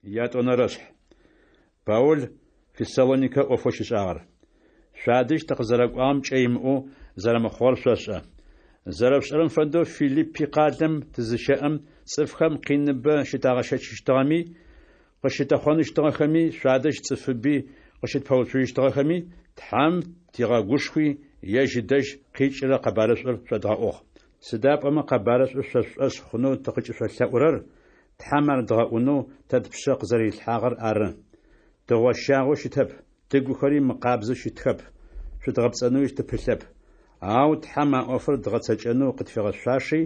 Ятӏонэрэшъхь. Паул Фессалоникэ ӏофэу щишӏагъэр. Шъуадэжь тыкъызэрэкӏуагъэм кӏэ имыӏэу зэрэмыхъугъэр шъошӏэ. Зэрэшъушӏэрэм фэдэу, Филиппи къалэм тызыщэӏэм, цӏыфхэм къиныбэ щытагъэщэчыщтыгъэми, къыщытэхъоныщтыгъэхэми, шъуадэжь цӏыфыби къыщытпэуцужьыщтыгъэхэми, Тхьэм тигъэгушхуи, ежь ыдэжь къикӏырэ къэбарышӏур шъодгъэӏугъ. Сыда пӏомэ къэбарышӏур шъо шъушӏошъ хъунэу тыкъыкӏышъолъэӏурэр Тхьэм ар дгъэӏунэу тэ тпшъэ къызэрэрилъхьагъэр ары. Тыгъощагъэу щытэп, тыгухэри мыкъабзэу щытхэп, шъудгъэпцӏэнэуи тыпылъэп. Ау Тхьэм а ӏофыр дгъэцэкӏэнэу къытфигъэшъуаши,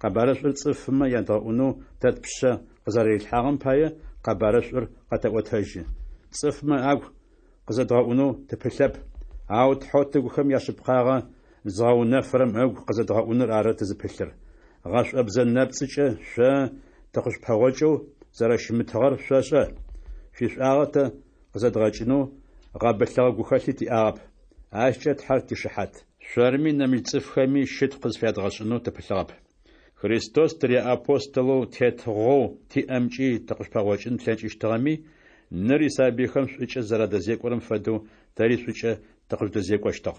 къэбарышӏур цӏыфмэ ядгъэӏунэу тэ тпшъэ къызэрэрилъхьагъэм пае, къэбарышӏур къэтэӏотэжьы. Цӏыфмэ агу къызэдгъэӏунэу тыпылъэп, ау Тхьэу тыгухэм яшъыпкъагъэ зыгъэунэфырэм ыгу къызэдгъэӏуныр ары тызыпылъыр. Гъэшӏобзэ нэпцӏыкӏэ шъо тыкъышъупэгъокӏэу зэрэщымытыгъэр шъошӏэ. Шъуишӏуагъэ тэ къызэдгъэкӏынэу гъэбылъыгъэ гухэлъи тиӏагъэп. Ащкӏэ Тхьэр тишыхьат. Шъорми нэмыкӏ цӏыфхэми щытхъу къызфядгъэшӏынэу тыпылъыгъэп. Христос тыряапостолэу тетыгъоу тиӏэмкӏи тыкъышъупэгъокӏын тлъэкӏыщтыгъэми, ныр исабыйхэм шӏукӏэ зэрадэзекӏорэм фэдэу тэри шӏукӏэ тыкъыжъудэзекӏощтыгъ.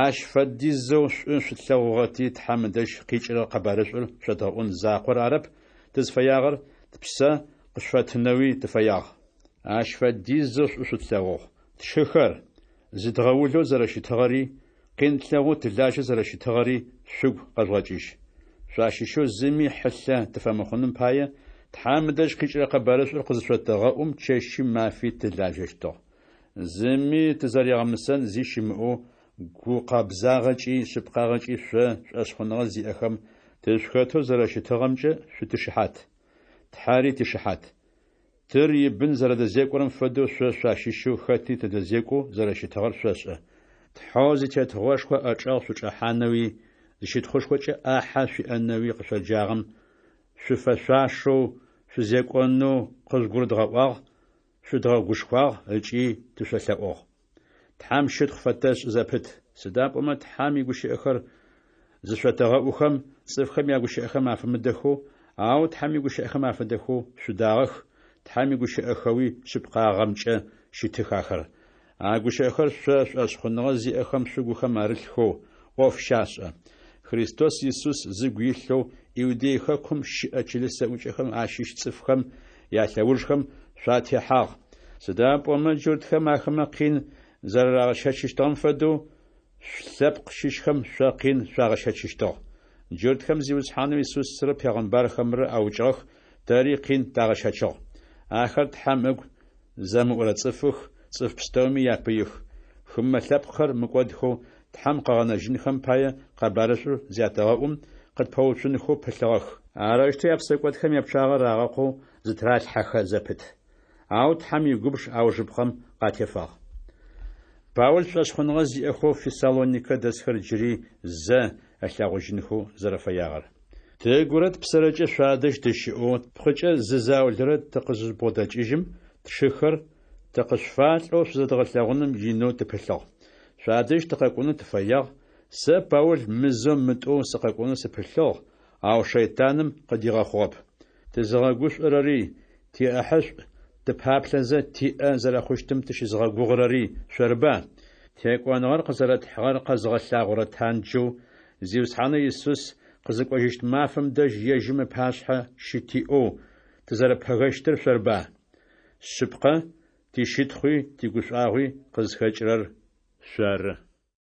Ащ фэдизэу шӏу шъутлъэгъугъэти, Тхьэм ыдэжь къикӏырэ къэбарышӏур шъодгъэӏун закъор арэп тызфэягъэр, тпсэ къышъуфэттынэуи тыфэягъ. Ащ фэдизэу шӏу шъутлъэгъугъ. Тшыхэр, зыдгъэулэу зэрэщытыгъэри, къин тлъэгъоу тылажьэу зэрэщытыгъэри шъугу къэжъугъэкӏыжь. Шъуащыщэу зыми хьылъэ тыфэмыхъуным пае, Тхьэм ыдэжь къикӏырэ къэбарышӏур къызышъотэгъэӏум чэщи мафи тылажьэщтыгъ. Зыми тызэригъэмысэн зи щымыӏэу, гукъэбзагъэкӏи шъыпкъагъэкӏи шъо, шӏошъхъуныгъэ зиӏэхэм, тышъухэтэу зэрэщытыгъэмкӏэ шъутишыхьат. Тхьэри тишыхьат. Тыр ибын зэрэдэзекӏорэм фэдэу шъо шъуащыщэу хэти тыдэзекӏоу зэрэщытыгъэр шъошӏэ. Тхьэу зитетыгъошхо ыӏэчӏэгъ шъучӏэхьанэуи, зыщытхъушхокӏэ ӏахьэ шъуиӏэнэуи къышъоджагъэм шъуфэшъуашэу шъузекӏонэу къыжъугурыдгъэӏуагъ, шъудгъэгушхуагъ ыкӏи тышъолъэӏугъ. Тхьэм щытхъу фэтэшӏы зэпыт, сыда пӏомэ Тхьэм игущыӏэхэр зышъотэгъэӏухэм, цӏыфхэм ягущыӏэхэм афэмыдэхэу, ау Тхьэм игущыӏэхэм афэдэхэу шъудагъэх, Тхьэм игущыӏэхэуи шъыпкъагъэмкӏэ щытых ахэр. А гущыӏэхэр шъо шӏошъхъуныгъэ зиӏэхэм шъугухэм арылъхэу ӏоф щашӏэ. Христос Исус зыгу илъэу Иудей хэкум щыӏэ чылыс зэӏукӏэхэм ащыщ цӏыфхэм ялъэужхэм шъуатехьагъ, сыда пӏомэ джуртхэм ахэмэ къин зэрарагъэщэчыщтыгъэм фэдэу, шъулъэпкъ щыщхэм шъо къин шъуагъэщэчыщтыгъ. Джуртхэм Зиусхьанэу Исусрэ пегъымбархэмрэ аукӏыгъэх, тэри къин тагъэщэчыгъ. Ахэр Тхьэм ыгу зэмыӏурэ цӏыфых, цӏыф пстэуми япыих. Хымэ лъэпкъхэр мыкӏодхэу Тхьэм къыгъэнэжьынхэм пае къэбарышӏур зятэгъэӏум, къытпэуцунхэу пылъыгъэх. Арэущтэу япсэкӏодхэм япчъагъэ рагъэкъоу зытыралъхьэхэ зэпыт. Ау Тхьэм игубж аужыпкъэм къатефагъ. Паул шӏошъхъуныгъэ зиӏэхэу Фессалоникэ дэсхэр джыри зэ ылъэгъужьынхэу зэрэфэягъэр. Тыгурэ тпсэрэкӏэ шъуадэжь тыщыӏэу, тпкъыкӏэ зы заулэрэ тыкъызыжъубгъодэкӏыжьым, тшыхэр, тыкъышъуфалӏэу шъузэдгъэлъэгъуным инэу тыпылъыгъ. Шъуадэжь тыкъэкӏонэу тыфэягъ, сэ, Паул, мызэу-мытӏоу сыкъэкӏонэу сыпылъыгъ, ау шэйтаным къыдигъэхъугъэп. Тызыгъэгушӏорэри, тиӏэхьышӏу тыпаплъэзэ тиӏэ зэрэхъущтым тыщызыгъэгугъырэри шъорыба? Текӏоныгъэр къызэрэтхьыгъэр къэзыгъэлъагъорэ танджэу Зиусхьанэу Исус къызыкӏожьыщт мафэм дэжь ежьым ыпашъхьэ щытиӏэу тызэрэпэгэщтыр шъорыба? Шъыпкъэ, тищытхъуи тигушӏуагъуи къызхэкӏырэр шъоры.